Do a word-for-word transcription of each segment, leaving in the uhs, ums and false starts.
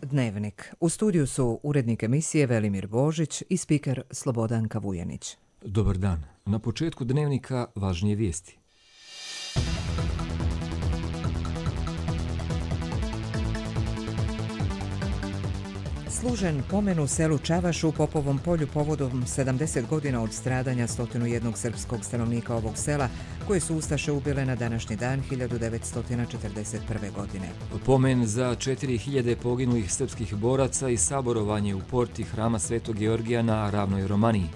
Dnevnik. U studiju su urednik emisije Velimir Božić i spiker Slobodanka Vujanić. Dobar dan. Na početku Dnevnika važnije vijesti. Služen pomen u selu Čavaš u Popovom polju povodom sedamdeset godina od stradanja sto jedan srpskog stanovnika ovog sela, koje su ustaše ubile na današnji dan hiljadu devetsto četrdeset prve. godine. Pomen za četiri hiljade poginulih srpskih boraca i saborovanje u porti Hrama Svetog Georgija na Ravnoj Romaniji.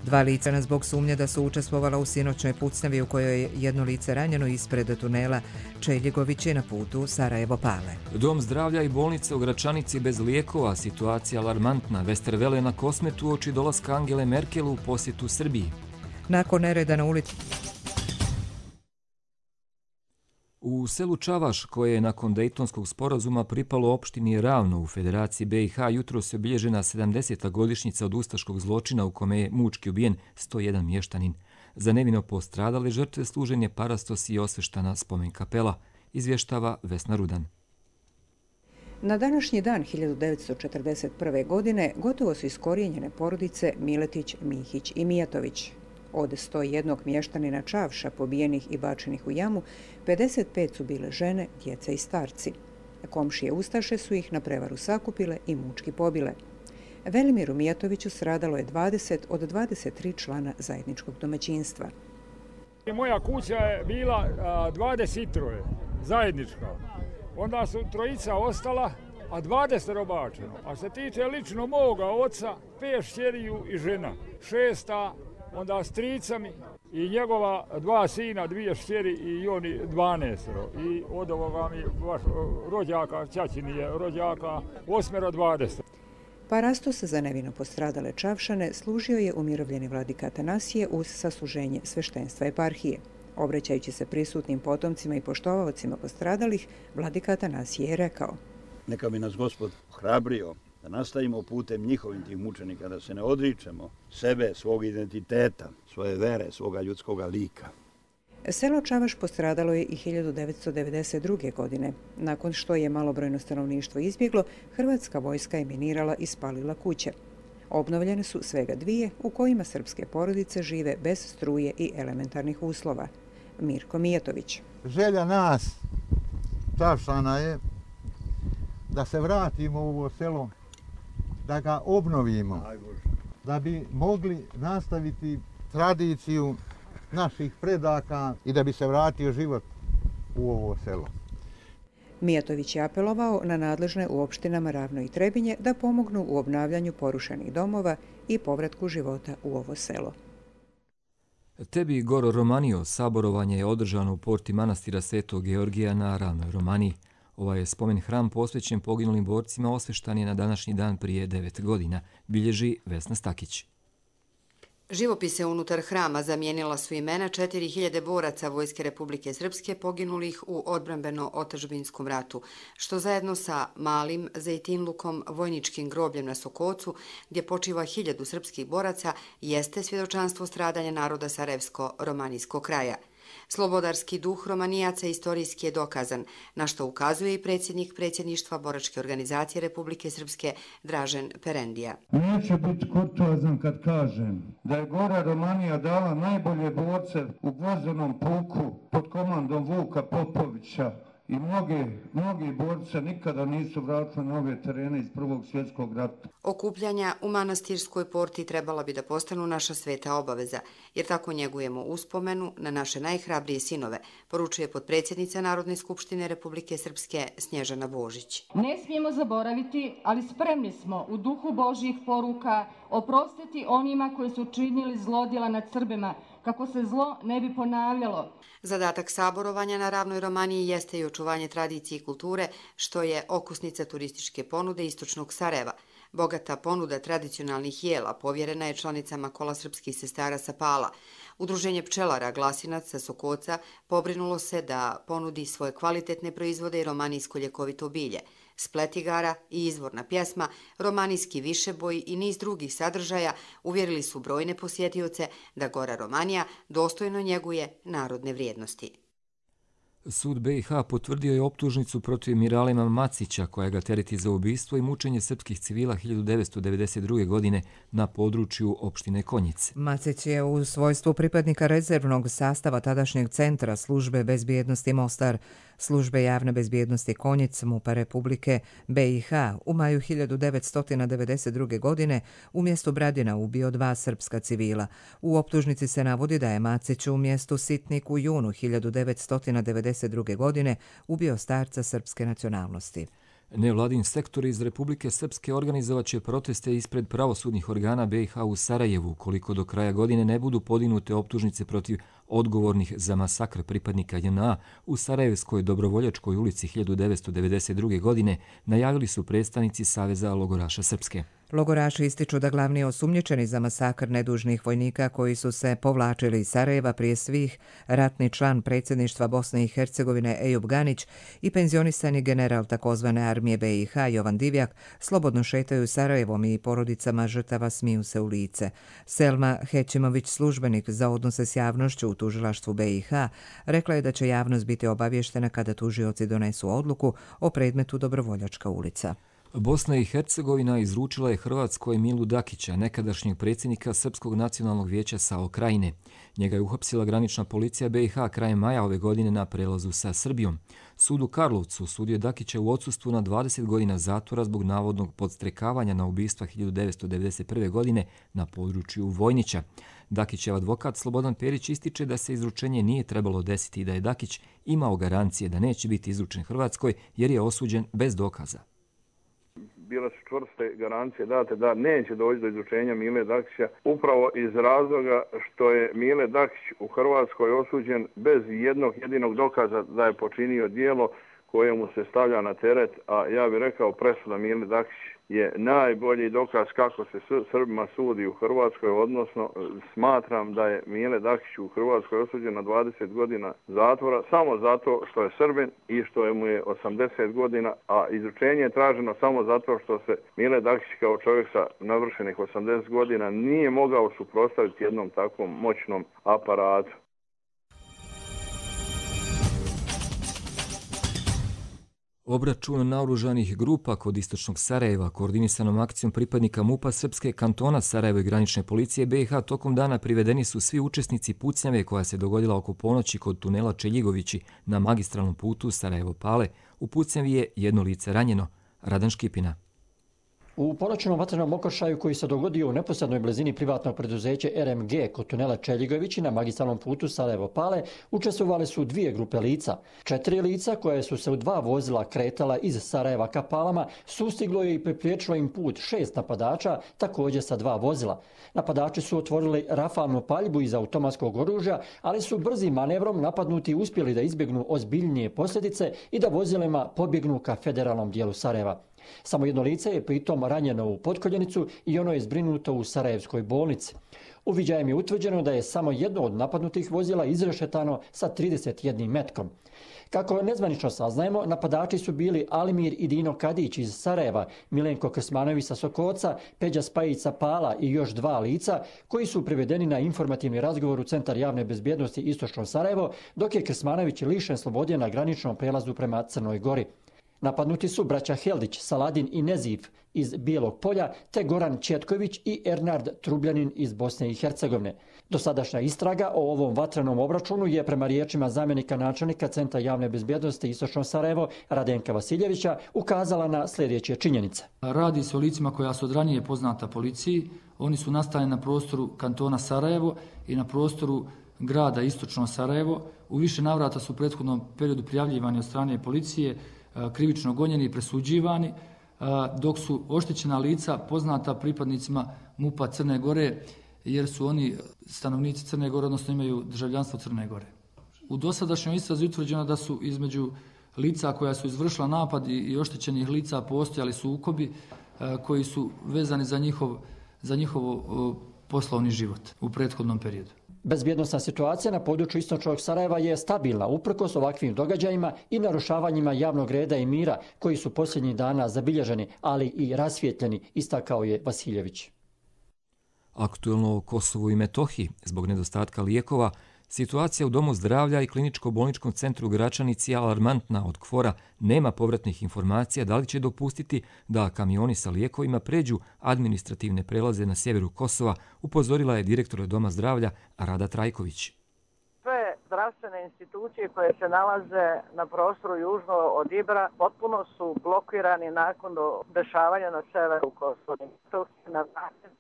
Dva lica zbog sumnje da su učestvovala u sinoćnoj pucnjavi u kojoj je jedno lice ranjeno ispred tunela Čeljegovići na putu Sarajevo-Pale. Dom zdravlja i bolnice u Gračanici bez lijekova, situacija alarmantna. Westerwelle na Kosmetu uoči dolaska Angele Merkel u posjetu Srbiji. Nakon nereda na ulici U selu Čavaš, koje je nakon Dejtonskog sporazuma pripalo opštini Ravno u Federaciji B i H, jutro se obilježena sedamdeseta godišnjica od ustaškog zločina u kome je mučki ubijen sto jedan mještanin. Za nevino postradale žrtve služen je parastos i osveštana spomen kapela, izvještava Vesna Rudan. Na današnji dan hiljadu devetsto četrdeset prve. godine gotovo su iskorijenjene porodice Miletić, Mihić i Mijatović. Od sto jednog mještanina Čavša pobijenih i bačenih u jamu, pedeset pet su bile žene, djeca i starci. Komšije ustaše su ih na prevaru sakupile i mučki pobile. Velimiru Mijatoviću stradalo je dvadeset od dvadeset tri člana zajedničkog domaćinstva. Moja kuća je bila dvadeset tri zajednička. Onda su trojica ostala, a dvadeset obačeno. A se tiče lično moga oca, pet šćeriju i žena. Šesta, onda s tricami i njegova dva sina, dvije šćeri i oni dvanaestero. I od ovoga mi vaš rođaka, ćaćini je rođaka, osmero dvadeset. Parastos za nevino postradale Čavšane služio je umirovljeni vladika Atanasije uz sasluženje sveštenstva eparhije. Obraćajući se prisutnim potomcima i poštovaocima postradalih, vladika Atanasije je rekao: Neka bi nas Gospod ohrabrio da nastavimo putem njihovim tih mučenika, da se ne odričemo sebe, svog identiteta, svoje vere, svoga ljudskoga lika. Selo Čavaš postradalo je i hiljadu devetsto devedeset druge. godine. Nakon što je malobrojno stanovništvo izbjeglo, hrvatska vojska je minirala i spalila kuće. Obnovljene su svega dvije u kojima srpske porodice žive bez struje i elementarnih uslova. Mirko Mijatović. Želja nas, Čavšana, je da se vratimo u ovo selo, da ga obnovimo, da bi mogli nastaviti tradiciju naših predaka i da bi se vratio život u ovo selo. Mijatović je apelovao na nadležne u opštinama Ravno i Trebinje da pomognu u obnavljanju porušenih domova i povratku života u ovo selo. Tebi Goro Romanio saborovanje je održano u porti manastira Svetog Georgija na Ravnoj Romaniji. Ovaj je spomen hram posvećen poginulim borcima osveštan je na današnji dan prije devet godina, bilježi Vesna Stakić. Živopise unutar hrama zamijenila su imena četiri hiljade boraca Vojske Republike Srpske poginulih u odbrambeno-otadžbinskom ratu, što zajedno sa malim Zejtinlukom, vojničkim grobljem na Sokocu, gdje počiva hiljadu srpskih boraca, jeste svjedočanstvo stradanja naroda Sarajevsko-romanijskog kraja. Slobodarski duh Romanijaca istorijski je dokazan, na što ukazuje i predsjednik predsjedništva Boračke organizacije Republike Srpske Dražen Perendija. Neću biti kurtoazan kad kažem da je Gora Romanija dala najbolje borce u Gvozdenom puku pod komandom Vuka Popovića i mnoge, mnogi borce nikada nisu vratili na ove terene iz Prvog svjetskog rata. Okupljanja u manastirskoj porti trebala bi da postanu naša sveta obaveza, jer tako njegujemo uspomenu na naše najhrabrije sinove, poručuje potpredsjednica Narodne skupštine Republike Srpske Snježana Božić. Ne smijemo zaboraviti, ali spremni smo u duhu Božjih poruka oprostiti onima koji su činili zlodjela nad Srbima, kako se zlo ne bi ponavljalo. Zadatak saborovanja na Ravnoj Romaniji jeste i očuvanje tradicije i kulture, što je okusnica turističke ponude istočnog Sarajeva. Bogata ponuda tradicionalnih jela povjerena je članicama Kola srpskih sestara sa Pala. Udruženje pčelara Glasinac sa Sokoca pobrinulo se da ponudi svoje kvalitetne proizvode i romanijsko ljekovito bilje. Splet igara i izvorna pjesma, romanijski višeboj i niz drugih sadržaja uvjerili su brojne posjetioce da Gora Romanija dostojno njeguje narodne vrijednosti. Sud be i ha potvrdio je optužnicu protiv Miralema Macića, koja ga tereti za ubistvo i mučenje srpskih civila hiljadu devetsto devedeset druge. godine na području opštine Konjic. Macić je u svojstvu pripadnika rezervnog sastava tadašnjeg centra službe bezbjednosti Mostar, službe javne bezbjednosti Konjic, MUP-a Republike be i ha u maju hiljadu devetsto devedeset druge. godine u mjestu Bradina ubio dva srpska civila. U optužnici se navodi da je Macić u mjestu Sitnik u junu hiljadu devetsto devedeset druge. godine ubio starca srpske nacionalnosti. Nevladin sektor iz Republike Srpske organizovat će proteste ispred pravosudnih organa be i ha u Sarajevu, koliko do kraja godine ne budu podignute optužnice protiv odgovornih za masakr pripadnika je en a u Sarajevskoj Dobrovoljačkoj ulici hiljadu devetsto devedeset druge. godine, najavili su predstavnici Saveza logoraša Srpske. Logoraši ističu da glavni osumnjičeni za masakr nedužnih vojnika koji su se povlačili iz Sarajeva, prije svih ratni član predsjedništva Bosne i Hercegovine Ejub Ganić i penzionisani general takozvane armije be i ha Jovan Divjak, slobodno šetaju Sarajevom i porodicama žrtava smiju se u lice. Selma Hećimović, službenik za odnose s javnošću u tužilaštvu be i ha, rekla je da će javnost biti obavještena kada tužioci donesu odluku o predmetu Dobrovoljačka ulica. Bosna i Hercegovina izručila je Hrvatskoj Milu Dakića, nekadašnjeg predsjednika Srpskog nacionalnog vijeća SAO Krajine. Njega je uhapsila granična policija be i ha krajem maja ove godine na prelazu sa Srbijom. Sud u Karlovcu sudio Dakića u odsustvu na dvadeset godina zatvora zbog navodnog podstrekavanja na ubistva hiljadu devetsto devedeset prve. godine na području Vojnića. Dakićev advokat Slobodan Perić ističe da se izručenje nije trebalo desiti i da je Dakić imao garancije da neće biti izručen Hrvatskoj jer je osuđen bez dokaza. Bile su čvrste garancije date da neće doći do izručenja Mile Dakića upravo iz razloga što je Mile Dakić u Hrvatskoj osuđen bez jednog jedinog dokaza da je počinio djelo koje mu se stavlja na teret, a ja bih rekao presuda Mile Dakić je najbolji dokaz kako se Srbima sudi u Hrvatskoj, odnosno smatram da je Mile Dakić u Hrvatskoj osuđen na dvadeset godina zatvora samo zato što je Srbin i što je mu je osamdeset godina, a izručenje je traženo samo zato što se Mile Dakić kao čovjek sa navršenih osamdeset godina nije mogao suprotstaviti jednom takvom moćnom aparatu. Obračun naoružanih grupa kod istočnog Sarajeva, koordinisanom akcijom pripadnika MUP-a Srpske kantona Sarajevo i granične policije be i ha, tokom dana privedeni su svi učesnici pucnjave koja se dogodila oko ponoći kod tunela Čeljigovići na magistralnom putu Sarajevo-Pale. U pucnjavi je jedno lice ranjeno. Radan Škipina. U ponoćnom vatrenom okršaju koji se dogodio u neposrednoj blizini privatnog preduzeća er em ge kod tunela Čeljigovići na magistralnom putu Sarajevo-Pale učestvovale su dvije grupe lica. Četiri lica koje su se u dva vozila kretala iz Sarajeva ka Palama sustiglo je i pripriječilo im put šest napadača, također sa dva vozila. Napadači su otvorili rafalnu paljbu iz automatskog oružja, ali su brzim manevrom napadnuti uspjeli da izbjegnu ozbiljnije posljedice i da vozilima pobjegnu ka federalnom dijelu Sarajeva. Samo jedno lice je pritom ranjeno u potkoljenicu i ono je zbrinuto u Sarajevskoj bolnici. Uviđajem je utvrđeno da je samo jedno od napadnutih vozila izrešetano sa trideset jednim metkom. Kako nezvanično saznajemo, napadači su bili Alimir i Dino Kadić iz Sarajeva, Milenko Krsmanović sa Sokoca, Peđa Spajić sa Pala i još dva lica koji su privedeni na informativni razgovor u Centar javne bezbjednosti Istočno Sarajevo, dok je Krsmanović lišen slobode na graničnom prelazu prema Crnoj Gori. Napadnuti su braća Heldić, Saladin i Nezif iz Bijelog Polja, te Goran Četković i Ernard Trubljanin iz Bosne i Hercegovine. Dosadašnja istraga o ovom vatrenom obračunu je prema riječima zamjenika načelnika Centra javne bezbjednosti Istočno Sarajevo Radenka Vasiljevića ukazala na sljedeće činjenice. Radi se o licima koja su od ranije poznata policiji. Oni su nastali na prostoru kantona Sarajevo i na prostoru grada Istočno Sarajevo. U više navrata su u prethodnom periodu prijavljivani od strane policije, krivično gonjeni i presuđivani, dok su oštećena lica poznata pripadnicima MUP-a Crne Gore, jer su oni stanovnici Crne Gore, odnosno imaju državljanstvo Crne Gore. U dosadašnjoj istrazi utvrđeno da su između lica koja su izvršila napad i oštećenih lica postojali sukobi koji su vezani za njihov, za njihov poslovni život u prethodnom periodu. Bezbjednosna situacija na području istočnog Sarajeva je stabilna uprkos ovakvim događajima i narušavanjima javnog reda i mira koji su posljednjih dana zabilježeni, ali i rasvijetljeni, istakao je Vasiljević. Aktuelno o Kosovu i Metohiji. Zbog nedostatka lijekova, Situacija u Domu zdravlja i kliničko-bolničkom centru u Gračanici je alarmantna. Od KFOR-a nema povratnih informacija da li će dopustiti da kamioni sa lijekovima pređu administrativne prelaze na sjeveru Kosova, upozorila je direktor Doma zdravlja Rada Trajković. Sve zdravstvene institucije koje se nalaze na prostoru južno od Ibra potpuno su blokirani nakon do dešavanja na severu Kosova. Na način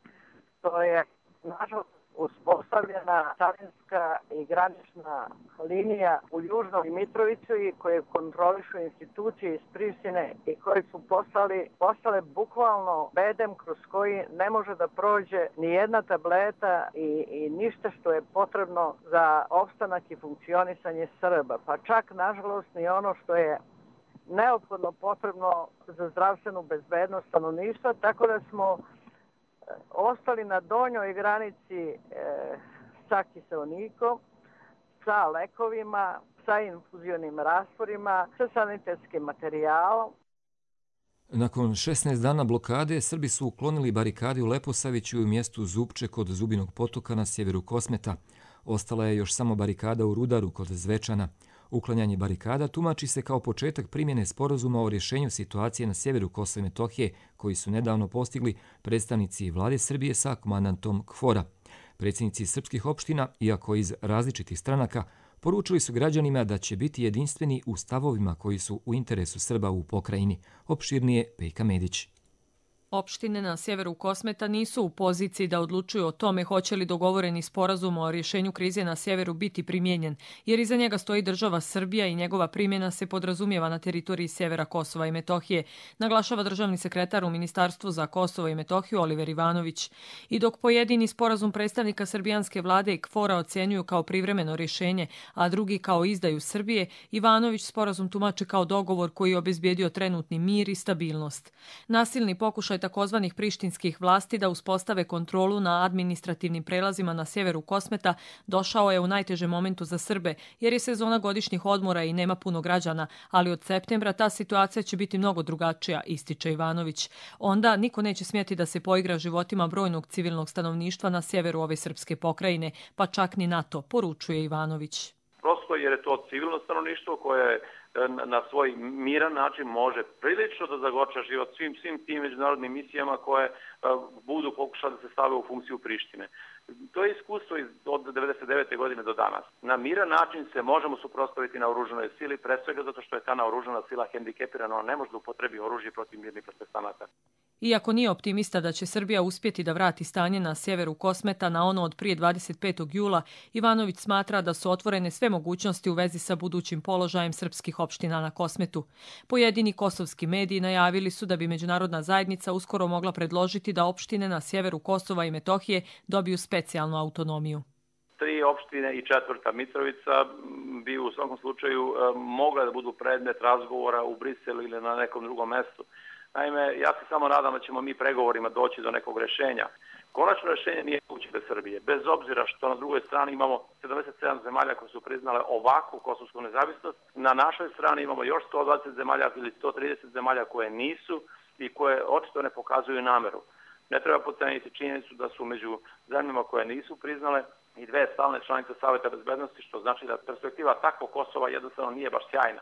to je nažalost uspostavljena carinska i granična linija u Južnoj Mitrovici koje kontrolišu institucije iz Prištine i koji su postali, postale bukvalno bedem kroz koji ne može da prođe ni jedna tableta i, i ništa što je potrebno za opstanak i funkcionisanje Srba. Pa čak, nažalost, ni ono što je neophodno potrebno za zdravstvenu bezbednost stanovništva, tako da smo ostali na donjoj granici e, sa kiseonikom, sa lekovima, sa infuzionim rastvorima, sa sanitetskim materijalom. Nakon šesnaest dana blokade, Srbi su uklonili barikade u Leposaviću i u mjestu Zupče kod Zubinog potoka na sjeveru Kosmeta. Ostala je još samo barikada u Rudaru kod Zvečana. Uklanjanje barikada tumači se kao početak primjene sporazuma o rješenju situacije na sjeveru Kosova i Metohije, koji su nedavno postigli predstavnici vlade Srbije sa komandantom KFOR-a. Predsjednici srpskih opština, iako iz različitih stranaka, poručili su građanima da će biti jedinstveni u stavovima koji su u interesu Srba u pokrajini. Opširnije Pejka Medić. Opštine na sjeveru Kosmeta nisu u poziciji da odlučuju o tome hoće li dogovoreni sporazum o rješenju krize na sjeveru biti primijenjen, jer iza njega stoji država Srbija i njegova primjena se podrazumijeva na teritoriji sjevera Kosova i Metohije, naglašava državni sekretar u Ministarstvu za Kosovo i Metohiju Oliver Ivanović. I dok pojedini sporazum predstavnika srbijanske vlade i KFOR-a ocjenjuju kao privremeno rješenje, a drugi kao izdaju Srbije, Ivanović sporazum tumači kao dogovor koji je obezbijedio trenutni mir i stabilnost. Nasilni pokušaj takozvanih prištinskih vlasti da uspostave kontrolu na administrativnim prelazima na sjeveru Kosmeta došao je u najtežem momentu za Srbe, jer je sezona godišnjih odmora i nema puno građana, ali od septembra ta situacija će biti mnogo drugačija, ističe Ivanović. Onda niko neće smjeti da se poigra životima brojnog civilnog stanovništva na sjeveru ove srpske pokrajine, pa čak ni NATO, poručuje Ivanović. Prosto jer je to civilno stanovništvo koje na svoj miran način može prilično da zagorča život svim, svim tim međunarodnim misijama koje budu pokušali da se stave u funkciju Prištine. To je iskustvo od devedeset devete godine do danas. Na miran način se možemo suprotstaviti na oružanoj sili, pre svega zato što je ta naoružana sila hendikepirana, ona ne može da upotrebi oružje protiv mirnih protestanata. Iako nije optimista da će Srbija uspjeti da vrati stanje na sjeveru Kosmeta na ono od prije dvadeset petog jula, Ivanović smatra da su otvorene sve mogućnosti u vezi sa budućim položajem srpskih opština na Kosmetu. Pojedini kosovski mediji najavili su da bi međunarodna zajednica uskoro mogla predložiti da opštine na sjeveru Kosova i Metohije dobiju specijalnu autonomiju. Tri opštine i četvrta Mitrovica bi u svakom slučaju mogle da budu predmet razgovora u Briselu ili na nekom drugom mjestu. Naime, ja se samo nadam da ćemo mi pregovorima doći do nekog rješenja. Konačno rješenje nije moguće bez Srbije, bez obzira što na drugoj strani imamo sedamdeset sedam zemalja koje su priznale ovakvu kosovsku nezavisnost. Na našoj strani imamo još sto dvadeset zemalja ili sto trideset zemalja koje nisu i koje očito ne pokazuju nameru. Ne treba podceniti činjenicu da su među zemljama koje nisu priznale i dve stalne članice Saveta bezbednosti, što znači da perspektiva takvog Kosova jednostavno nije baš sjajna.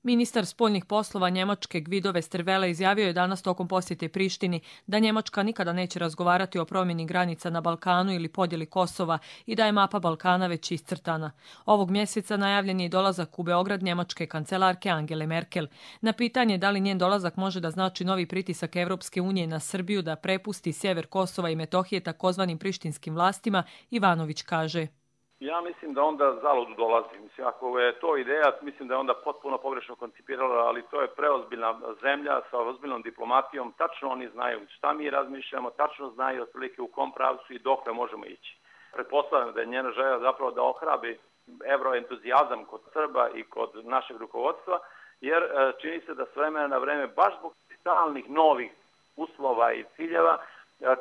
Ministar spoljnih poslova Njemačke Guido Westerwelle izjavio je danas tokom posjete Prištini da Njemačka nikada neće razgovarati o promjeni granica na Balkanu ili podjeli Kosova i da je mapa Balkana već iscrtana. Ovog mjeseca najavljen je i dolazak u Beograd njemačke kancelarke Angele Merkel. Na pitanje da li njen dolazak može da znači novi pritisak Evropske unije na Srbiju da prepusti sjever Kosova i Metohije takozvanim prištinskim vlastima, Ivanović kaže: Ja mislim da onda zalud dolazi. Mislim, ako je to ideja, mislim da je onda potpuno pogrešno koncipirala, ali to je preozbiljna zemlja sa ozbiljnom diplomatijom. Tačno oni znaju šta mi razmišljamo, tačno znaju otprilike u kom pravcu i dokle možemo ići. Pretpostavljam da je njena želja zapravo da ohrabi evroentuzijazam kod Srba i kod našeg rukovodstva, jer čini se da s vremena na vreme, baš zbog stalnih novih uslova i ciljeva,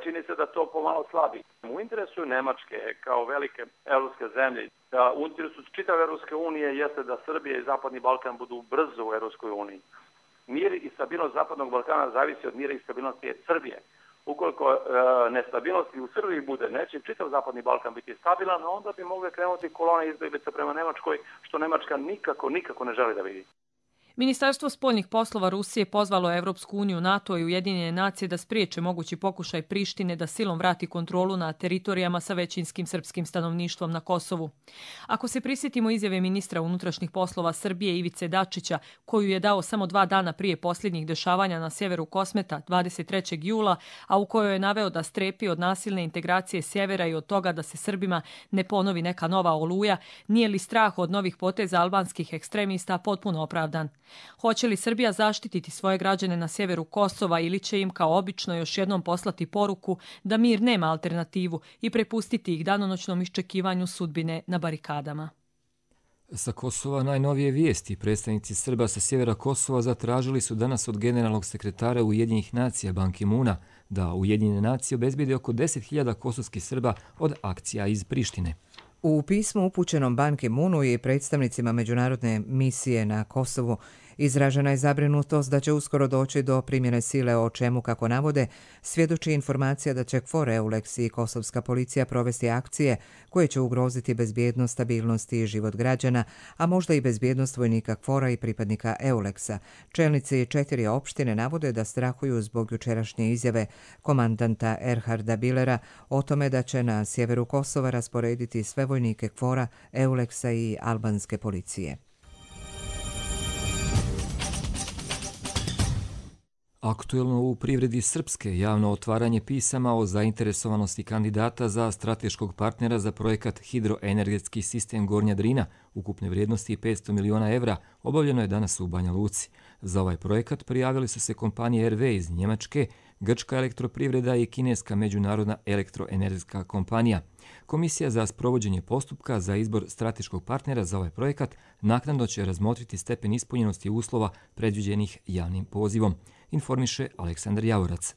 čini se da to pomalo slabi. U interesu Nemačke kao velike evropske zemlje, u interesu čitave Evropske unije jeste da Srbija i Zapadni Balkan budu brzo u Evropskoj uniji. Mir i stabilnost Zapadnog Balkana zavisi od mira i stabilnosti Srbije. ukoliko e, nestabilnosti u Srbiji bude, neće čitav Zapadni Balkan biti stabilan, onda bi mogle krenuti kolone izbjeglica prema Nemačkoj, što Nemačka nikako, nikako ne želi da vidi. Ministarstvo spoljnih poslova Rusije pozvalo Evropsku uniju, NATO i Ujedinjene nacije da spriječe mogući pokušaj Prištine da silom vrati kontrolu na teritorijama sa većinskim srpskim stanovništvom na Kosovu. Ako se prisjetimo izjave ministra unutrašnjih poslova Srbije Ivice Dačića, koju je dao samo dva dana prije posljednjih dešavanja na sjeveru Kosmeta dvadeset trećeg jula, a u kojoj je naveo da strepi od nasilne integracije sjevera i od toga da se Srbima ne ponovi neka nova oluja, nije li strah od novih poteza albanskih ekstremista potpuno opravdan? Hoće li Srbija zaštititi svoje građane na sjeveru Kosova ili će im kao obično još jednom poslati poruku da mir nema alternativu i prepustiti ih danonoćnom iščekivanju sudbine na barikadama? Sa Kosova najnovije vijesti. Predstavnici Srba sa sjevera Kosova zatražili su danas od generalnog sekretara Ujedinjenih nacija Ban Ki-moona da Ujedinjene nacije obezbijede oko deset hiljada kosovskih Srba od akcija iz Prištine. U pismu upućenom Ban Ki-moonu i predstavnicima međunarodne misije na Kosovu izražena je zabrinutost da će uskoro doći do primjene sile, o čemu, kako navode, svjedoči informacija da će KFOR, EULEX i kosovska policija provesti akcije koje će ugroziti bezbjednost, stabilnost i život građana, a možda i bezbjednost vojnika KFOR-a i pripadnika EULEX-a. Čelnici četiri opštine navode da strahuju zbog jučerašnje izjave komandanta Erharda Billera o tome da će na sjeveru Kosova rasporediti sve vojnike KFOR-a, EULEX-a i albanske policije. Aktuelno u privredi Srpske javno otvaranje pisama o zainteresovanosti kandidata za strateškog partnera za projekat Hidroenergetski sistem Gornja Drina ukupne vrijednosti petsto miliona evra obavljeno je danas u Banja Luci. Za ovaj projekat prijavili su se kompanije R W iz Njemačke, Grčka elektroprivreda i kineska međunarodna elektroenergetska kompanija. Komisija za sprovođenje postupka za izbor strateškog partnera za ovaj projekat naknadno će razmotriti stepen ispunjenosti uslova predviđenih javnim pozivom, informiše Aleksandar Javorac.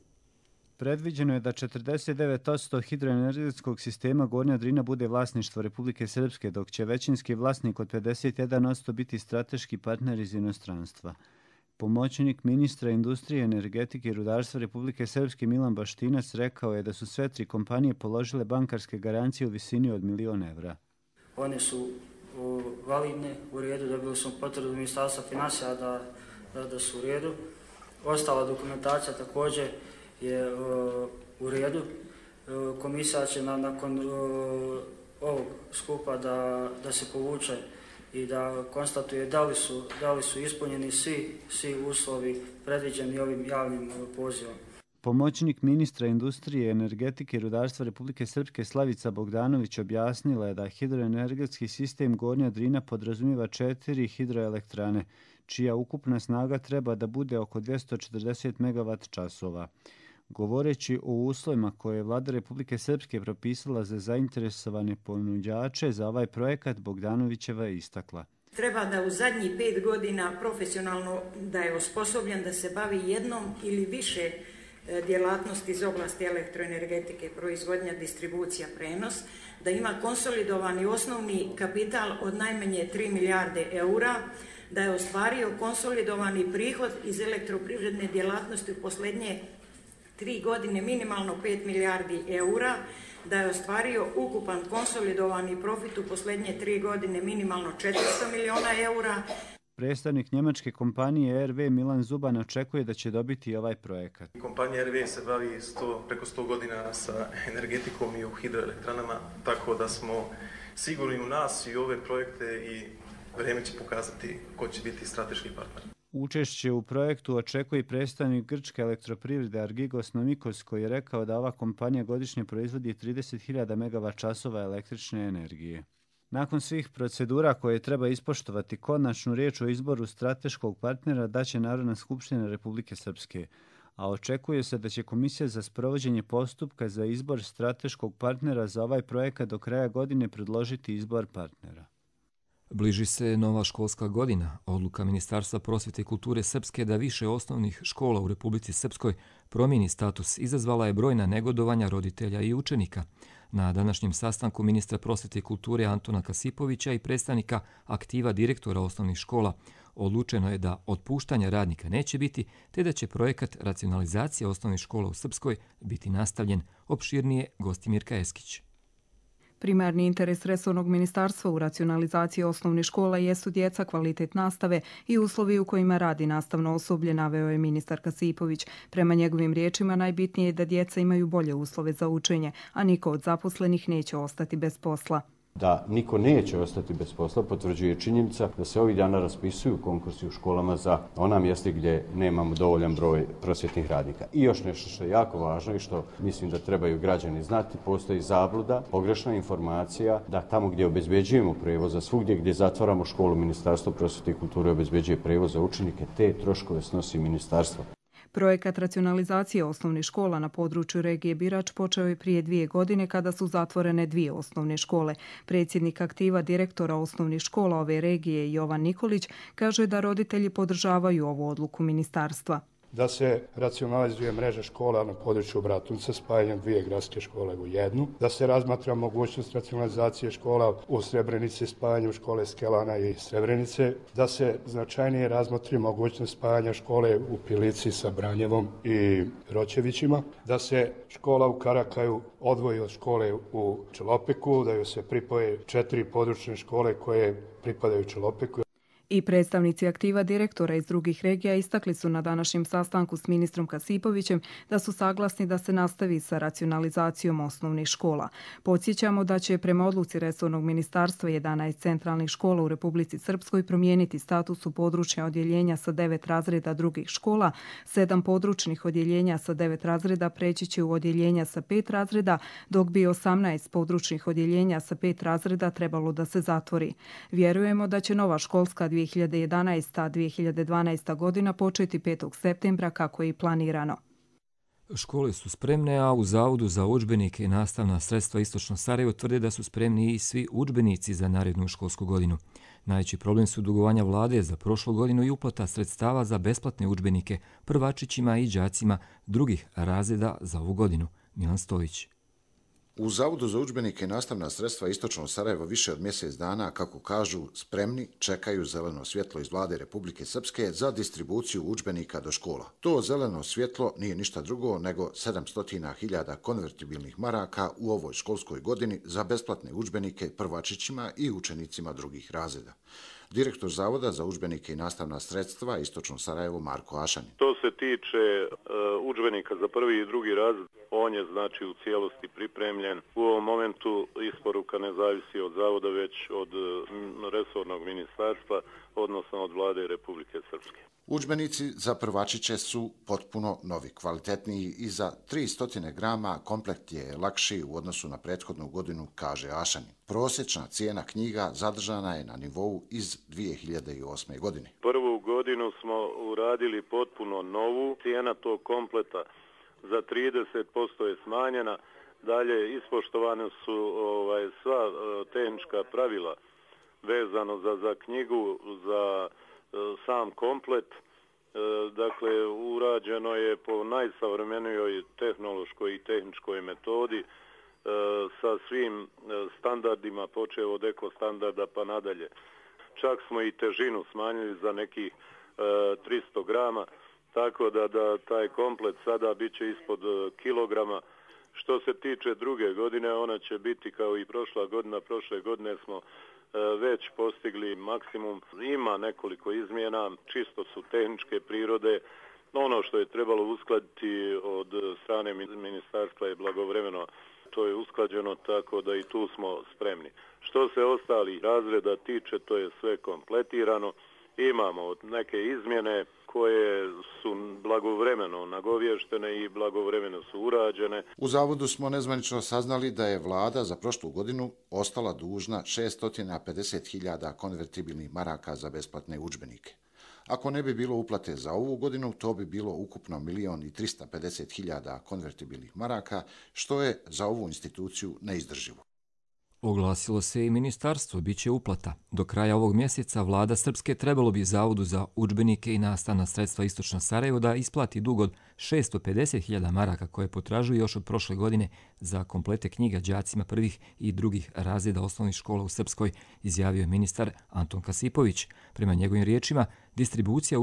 Predviđeno je da četrdeset devet posto hidroenergetskog sistema Gornja Drina bude vlasništvo Republike Srpske, dok će većinski vlasnik od pedeset jedan posto biti strateški partner iz inostranstva. Pomoćnik ministra industrije, energetike i rudarstva Republike Srpske Milan Baštinac rekao je da su sve tri kompanije položile bankarske garancije u visini od milion evra. One su o, validne, u redu, dobili smo potvrdu ministarstva financija da, da, da su u redu. Ostala dokumentacija također je o, u redu. O, komisija će na, nakon o, ovog skupa da, da se povuče i da konstatuje da li su, da li su ispunjeni svi, svi uslovi predviđeni ovim javnim pozivom. Pomoćnik ministra industrije, energetike i rudarstva Republike Srpske Slavica Bogdanović objasnila je da hidroenergetski sistem Gornja Drina podrazumijeva četiri hidroelektrane, čija ukupna snaga treba da bude oko dvjesto četrdeset megavat časova. Govoreći o uslovima koje je vlada Republike Srpske propisala za zainteresovane ponuđače za ovaj projekat, Bogdanovićeva je istakla. Treba da u zadnjih pet godina profesionalno da je osposobljen da se bavi jednom ili više djelatnosti iz oblasti elektroenergetike, proizvodnja, distribucija, prenos, da ima konsolidovani osnovni kapital od najmanje tri milijarde eura, da je ostvario konsolidovani prihod iz elektroprivredne djelatnosti u posljednje tri godine minimalno pet milijardi eura, da je ostvario ukupan konsolidovani profit u posljednje tri godine minimalno četiristo miliona eura. Predstavnik njemačke kompanije R W Milan Zuban očekuje da će dobiti ovaj projekat. Kompanija R W se bavi sto, preko sto godina sa energetikom i u hidroelektranama, tako da smo sigurni u nas i ove projekte i vrijeme će pokazati ko će biti strateški partner. Učešće u projektu očekuje i predstavnik grčke elektroprivrede Argigos Nomikos, koji je rekao da ova kompanija godišnje proizvodi trideset hiljada megavat časova električne energije. Nakon svih procedura koje treba ispoštovati, konačnu riječ o izboru strateškog partnera daće Narodna skupština Republike Srpske, a očekuje se da će Komisija za sprovođenje postupka za izbor strateškog partnera za ovaj projekat do kraja godine predložiti izbor partnera. Bliži se nova školska godina. Odluka Ministarstva prosvjete i kulture Srpske da više osnovnih škola u Republici Srpskoj promijeni status izazvala je brojna negodovanja roditelja i učenika. Na današnjem sastanku ministra prosvete i kulture Antona Kasipovića i predstavnika aktiva direktora osnovnih škola odlučeno je da otpuštanja radnika neće biti, te da će projekat racionalizacije osnovnih škola u Srpskoj biti nastavljen. Opširnije Gostimirka Eskić. Primarni interes resornog ministarstva u racionalizaciji osnovnih škola jesu djeca, kvalitet nastave i uslovi u kojima radi nastavno osoblje, naveo je ministar Kasipović. Prema njegovim riječima najbitnije je da djeca imaju bolje uslove za učenje, a niko od zaposlenih neće ostati bez posla. Da niko neće ostati bez posla potvrđuje činjenica da se ovih dana raspisuju konkursi u školama za ona mjesta gdje nemamo dovoljan broj prosvjetnih radnika. I još nešto što je jako važno i što mislim da trebaju građani znati, postoji zabluda, pogrešna informacija da tamo gdje obezbeđujemo prevoz, a svugdje gdje zatvaramo školu, Ministarstvo prosvjete i kulture obezbeđuje prevoz za učenike, te troškove snosi ministarstvo. Projekat racionalizacije osnovnih škola na području regije Birač počeo je prije dvije godine kada su zatvorene dvije osnovne škole. Predsjednik aktiva direktora osnovnih škola ove regije Jovan Nikolić kaže da roditelji podržavaju ovu odluku ministarstva. Da se racionalizuje mreža škola na području Bratunca spajanjem dvije gradske škole u jednu, da se razmatra mogućnost racionalizacije škola u Srebrenici spajanjem škole Skelana i Srebrenice, da se značajnije razmotri mogućnost spajanja škole u Pilici sa Branjevom i Roćevićima, da se škola u Karakaju odvoji od škole u Čelopeku, da joj se pripoje četiri područne škole koje pripadaju Čelopeku. I predstavnici aktiva direktora iz drugih regija istakli su na današnjem sastanku s ministrom Kasipovićem da su saglasni da se nastavi sa racionalizacijom osnovnih škola. Podsjećamo da će prema odluci resornog ministarstva jedanaest centralnih škola u Republici Srpskoj promijeniti status u područja odjeljenja sa devet razreda drugih škola, sedam područnih odjeljenja sa devet razreda preći će u odjeljenja sa pet razreda, dok bi osamnaest područnih odjeljenja sa pet razreda trebalo da se zatvori. Vjerujemo da će nova školska dvije hiljade jedanaesta. dvije hiljade dvanaesta. godina početi petog septembra kako je i planirano. Škole su spremne, a u Zavodu za udžbenike i nastavna sredstva Istočno Sarajevo tvrde da su spremni i svi udžbenici za narednu školsku godinu. Najveći problem su dugovanja vlade za prošlu godinu i uplata sredstava za besplatne udžbenike prvačićima i đacima drugih razreda za ovu godinu. Milan Stojić. U Zavodu za udžbenike i nastavna sredstva Istočno Sarajevo više od mjesec dana, kako kažu, spremni čekaju zeleno svjetlo iz vlade Republike Srpske za distribuciju udžbenika do škola. To zeleno svjetlo nije ništa drugo nego sedamsto hiljada konvertibilnih maraka u ovoj školskoj godini za besplatne udžbenike prvačićima i učenicima drugih razreda. Direktor Zavoda za udžbenike i nastavna sredstva Istočno Sarajevo Marko Ašanin. To se tiče uh, udžbenika za prvi i drugi razred, on je znači u cijelosti pripremljen. U ovom momentu isporuka ne zavisi od Zavoda, već od uh, resornog ministarstva, odnosno od vlade Republike Srpske. Udžbenici za prvačiće su potpuno novi, kvalitetniji i za tristo grama komplekt je lakši u odnosu na prethodnu godinu, kaže Ašanin. Prosječna cijena knjiga zadržana je na nivou iz dvije hiljade osme. godine. Prvu godinu smo uradili potpuno novu, cijena tog kompleta za trideset posto je smanjena, dalje ispoštovane su ovaj, sva tehnička pravila vezano za, za knjigu, za sam komplet, dakle urađeno je po najsavremenijoj tehnološkoj i tehničkoj metodi sa svim standardima, počev od eko standarda pa nadalje. Čak smo i težinu smanjili za nekih tristo grama, tako da, da taj komplet sada bit će ispod kilograma. Što se tiče druge godine, ona će biti kao i prošla godina. Prošle godine smo već postigli maksimum. Ima nekoliko izmjena, čisto su tehničke prirode. Ono što je trebalo uskladiti od strane ministarstva je blagovremeno. To je usklađeno, tako da i tu smo spremni. Što se ostalih razreda tiče, to je sve kompletirano. Imamo neke izmjene koje su blagovremeno nagovještene i blagovremeno su urađene. U Zavodu smo nezvanično saznali da je vlada za prošlu godinu ostala dužna šesto pedeset hiljada konvertibilnih maraka za besplatne udžbenike. Ako ne bi bilo uplate za ovu godinu, to bi bilo ukupno milion i trista pedeset hiljada konvertibilnih maraka, što je za ovu instituciju neizdrživo. Oglasilo se i ministarstvo, bit će uplata. Do kraja ovog mjeseca vlada Srpske trebalo bi Zavodu za udžbenike i nastavna sredstva Istočno Sarajevo da isplati dug od šesto pedeset hiljada maraka koje potražuju još od prošle godine za komplete knjiga đacima prvih i drugih razreda osnovnih škola u Srpskoj, izjavio je ministar Anton Kasipović. Prema njegovim riječima, distribucija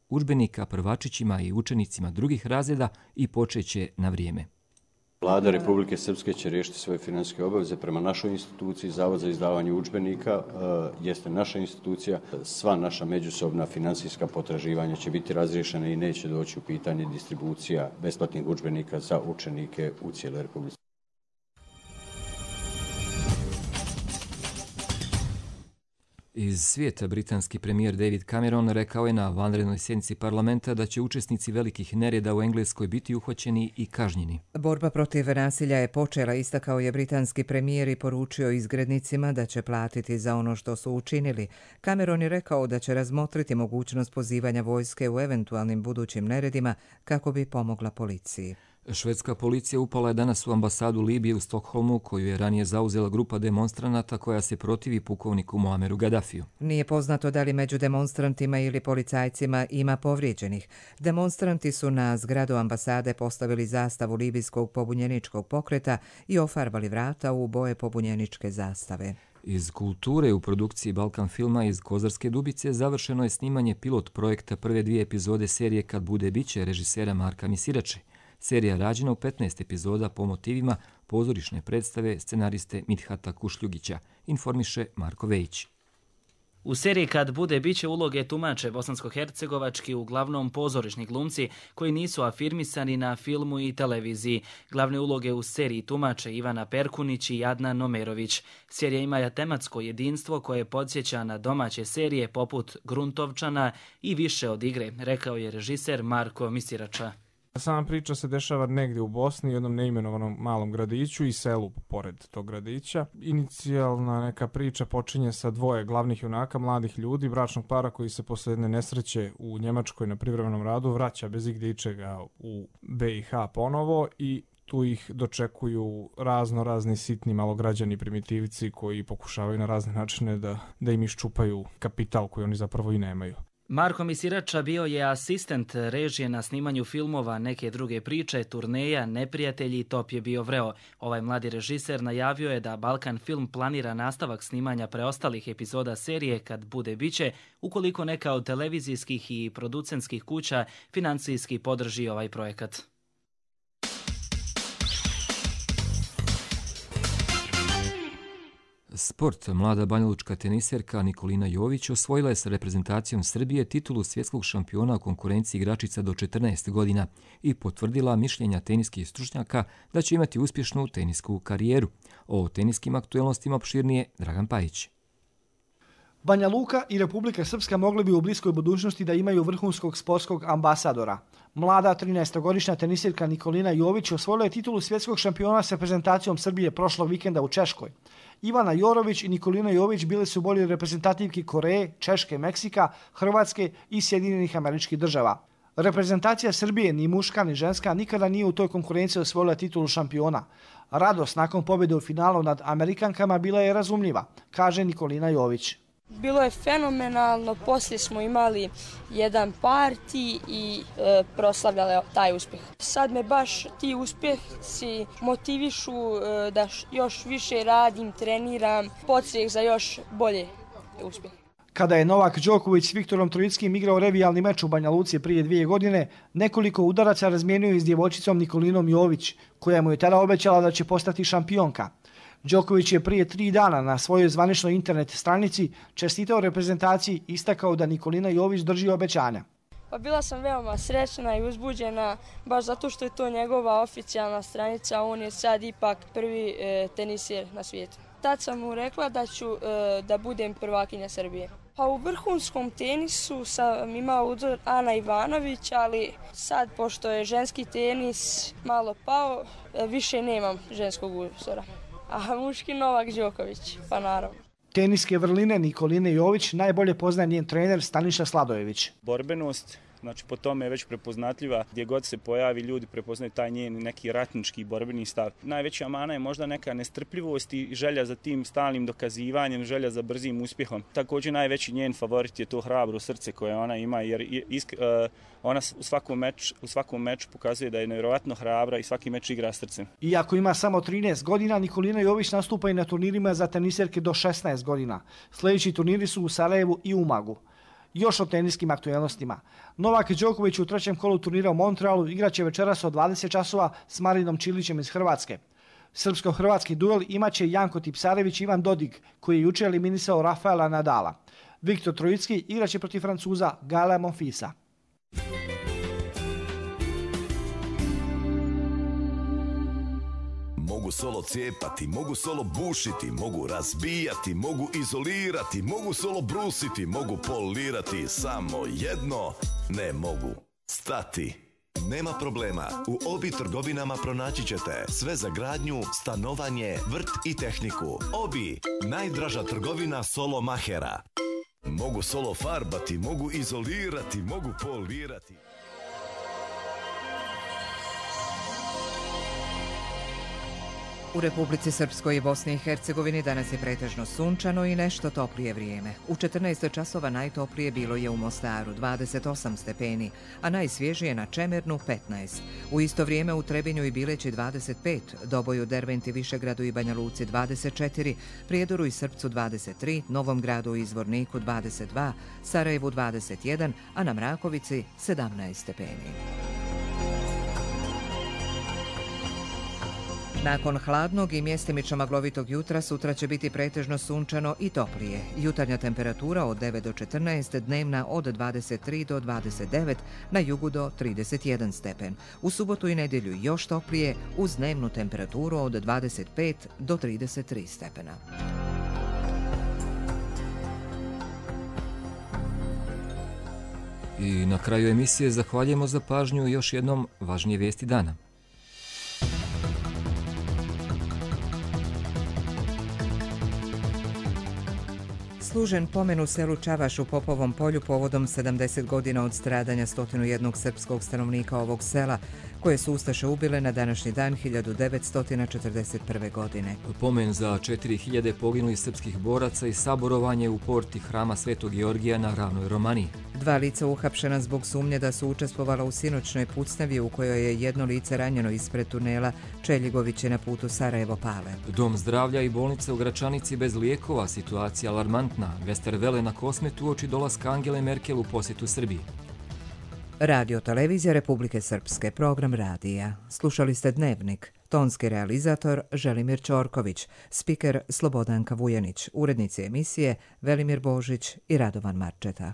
udžbenika prvačićima i učenicima drugih razreda i počeće na vrijeme. Vlada Republike Srpske će riješiti svoje financijske obaveze prema našoj instituciji. Zavod za izdavanje udžbenika jeste naša institucija. Sva naša međusobna financijska potraživanja će biti razriješena i neće doći u pitanje distribucija besplatnih udžbenika za učenike u cijeloj Republici. Iz svijeta britanski premijer David Cameron rekao je na vanrednoj sjednici parlamenta da će učesnici velikih nereda u Engleskoj biti uhvaćeni i kažnjeni. Borba protiv nasilja je počela, istakao je britanski premijer i poručio izgrednicima da će platiti za ono što su učinili. Cameron je rekao da će razmotriti mogućnost pozivanja vojske u eventualnim budućim neredima kako bi pomogla policiji. Švedska policija upala je danas u ambasadu Libije u Stokholmu, koju je ranije zauzela grupa demonstranata koja se protivi pukovniku Muameru Gaddafiju. Nije poznato da li među demonstrantima ili policajcima ima povrijeđenih. Demonstranti su na zgradu ambasade postavili zastavu libijskog pobunjeničkog pokreta i ofarbali vrata u boje pobunjeničke zastave. Iz kulture u produkciji Balkan filma iz Kozarske Dubice završeno je snimanje pilot projekta prve dvije epizode serije Kad bude biće režisera Marka Misirače. Serija je rađena u petnaest epizoda po motivima pozorišne predstave scenariste Midhata Kušljugića, informiše Marko Vejić. U seriji Kad bude biće uloge tumače bosansko-hercegovački uglavnom pozorišni glumci koji nisu afirmisani na filmu i televiziji. Glavne uloge u seriji tumače Ivana Perkunić i Adnan Nomerović. Serija ima tematsko jedinstvo koje podsjeća na domaće serije poput Gruntovčana i više od igre, rekao je režiser Marko Misirača. Sama priča se dešava negdje u Bosni, u jednom neimenovanom malom gradiću i selu pored tog gradića. Inicijalna neka priča počinje sa dvoje glavnih junaka, mladih ljudi, bračnog para koji se posle jedne nesreće u Njemačkoj na privremenom radu vraća bez igdje ičega u B i H ponovo i tu ih dočekuju razno razni sitni malograđani primitivci koji pokušavaju na razne načine da, da im iščupaju kapital koji oni zapravo i nemaju. Marko Misirača bio je asistent režije na snimanju filmova Neke druge priče, Turneja, Neprijatelji i Top je bio vreo. Ovaj mladi režiser najavio je da Balkan film planira nastavak snimanja preostalih epizoda serije Kad bude biće, ukoliko neka od televizijskih i producentskih kuća financijski podrži ovaj projekat. Sport. Mlada banjalučka teniserka Nikolina Jović osvojila je sa reprezentacijom Srbije titulu svjetskog šampiona u konkurenciji igračica do četrnaest godina i potvrdila mišljenja teniskih stručnjaka da će imati uspješnu tenisku karijeru. O teniskim aktuelnostima opširnije Dragan Pajić. Banja Luka i Republika Srpska mogli bi u bliskoj budućnosti da imaju vrhunskog sportskog ambasadora. Mlada trinaestogodišnja tenisirka Nikolina Jović osvojila je titulu svjetskog šampiona s reprezentacijom Srbije prošlog vikenda u Češkoj. Ivana Jorović i Nikolina Jović bili su bolji reprezentativki Koreje, Češke, Meksika, Hrvatske i Sjedinjenih Američkih Država. Reprezentacija Srbije, ni muška ni ženska, nikada nije u toj konkurenciji osvojila titulu šampiona. Radost nakon pobjede u finalu nad Amerikankama bila je razumljiva, kaže Nikolina Jović. Bilo je fenomenalno, poslije smo imali jedan parti i e, proslavljali taj uspjeh. Sad me baš ti uspjesi motivišu e, da još više radim, treniram, podstrijeh za još bolje uspjehe. Kada je Novak Đoković s Viktorom Trojickim igrao revijalni meč u Banja Luci prije dvije godine, nekoliko udaraca razmijenio je s djevojčicom Nikolinom Jović, koja mu je tada obećala da će postati šampionka. Đoković je prije tri dana na svojoj zvaničnoj internet stranici čestitao reprezentaciji i istakao da Nikolina Jović drži obećanja. Pa bila sam veoma srećna i uzbuđena, baš zato što je to njegova oficijalna stranica, on je sad ipak prvi e, tenisir na svijetu. Tad sam mu rekla da ću e, da budem prvakinja Srbije. Pa u vrhunskom tenisu sam imao uzor Ana Ivanović, ali sad, pošto je ženski tenis malo pao, e, više nemam ženskog uzora. A muški Novak Đoković, pa naravno. Teniske vrline Nikoline Jović najbolje poznaje njen trener Staniša Sladojević. Borbenost, znači po tome je već prepoznatljiva, gdje god se pojavi ljudi prepoznaju taj njen neki ratnički borbeni stav. Najveća mana je možda neka nestrpljivost i želja za tim stalnim dokazivanjem, želja za brzim uspjehom. Također najveći njen favorit je to hrabro srce koje ona ima, jer isk, uh, ona u svakom, meč, u svakom meču pokazuje da je nevjerojatno hrabra i svaki meč igra srcem. Iako ima samo trinaest godina, Nikolina Jović nastupa i na turnirima za teniserke do šesnaest godina. Sljedeći turniri su u Sarajevu i Umagu. Još o teniskim aktualnostima. Novak Đoković u trećem kolu turnira u Montrealu igraće večeras od dvadeset časova s Marinom Čilićem iz Hrvatske. Srpsko-hrvatski duel imaće Janko Tipsarević i Ivan Dodig, koji je jučer eliminisao Rafaela Nadala. Viktor Trojicki igraće protiv Francuza Gaela Monfilsa. Mogu solo cijepati, mogu solo bušiti, mogu razbijati, mogu izolirati, mogu solo brusiti, mogu polirati, samo jedno ne mogu stati. Nema problema, u Obi trgovinama pronaći ćete sve za gradnju, stanovanje, vrt i tehniku. Obi, najdraža trgovina solo mahera. Mogu solo farbati, mogu izolirati, mogu polirati. U Republici Srpskoj i Bosni i Hercegovini danas je pretežno sunčano i nešto toplije vrijeme. U četrnaest časova najtoplije bilo je u Mostaru dvadeset osam stepeni, a najsvježije na Čemernu petnaest. U isto vrijeme u Trebinju i Bileći dvadeset pet, Doboju, Derventi, Višegradu i Banja Luci dvadeset četiri, Prijedoru i Srpcu dvadeset tri, Novom Gradu i Izvorniku dvadeset dva, Sarajevu dvadeset jedan, a na Mrakovici sedamnaest stepeni. Nakon hladnog i mjestimično maglovitog jutra sutra će biti pretežno sunčano i toplije. Jutarnja temperatura od devet do četrnaest, dnevna od dvadeset tri do dvadeset devet, na jugu do trideset jedan stepen. U subotu i nedjelju još toplije uz dnevnu temperaturu od dvadeset pet do trideset tri stepena. I na kraju emisije zahvaljujemo za pažnju i još jednom važnije vijesti dana. Služen pomen u selu Čavaš u Popovom polju povodom sedamdeset godina od stradanja sto jedan srpskog stanovnika ovog sela, koje su ustaše ubile na današnji dan hiljadu devetsto četrdeset prve. godine. Pomen za četiri hiljade poginulih srpskih boraca i saborovanje u porti hrama Svetog Georgija na Ravnoj Romaniji. Dva lica uhapšena zbog sumnje da su učestvovala u sinoćnoj pucnjavi u kojoj je jedno lice ranjeno ispred tunela Čeljigoviće na putu Sarajevo-Pale. Dom zdravlja i bolnice u Gračanici bez lijekova, situacija alarmantna. Westerwelle na Kosmetu uoči dolaska Angele Merkel u posjetu Srbiji. Radio Televizija Republike Srpske, program radija. Slušali ste Dnevnik. Tonski realizator Želimir Ćorković, spiker Slobodanka Vujanić, urednici emisije Velimir Božić i Radovan Marčeta.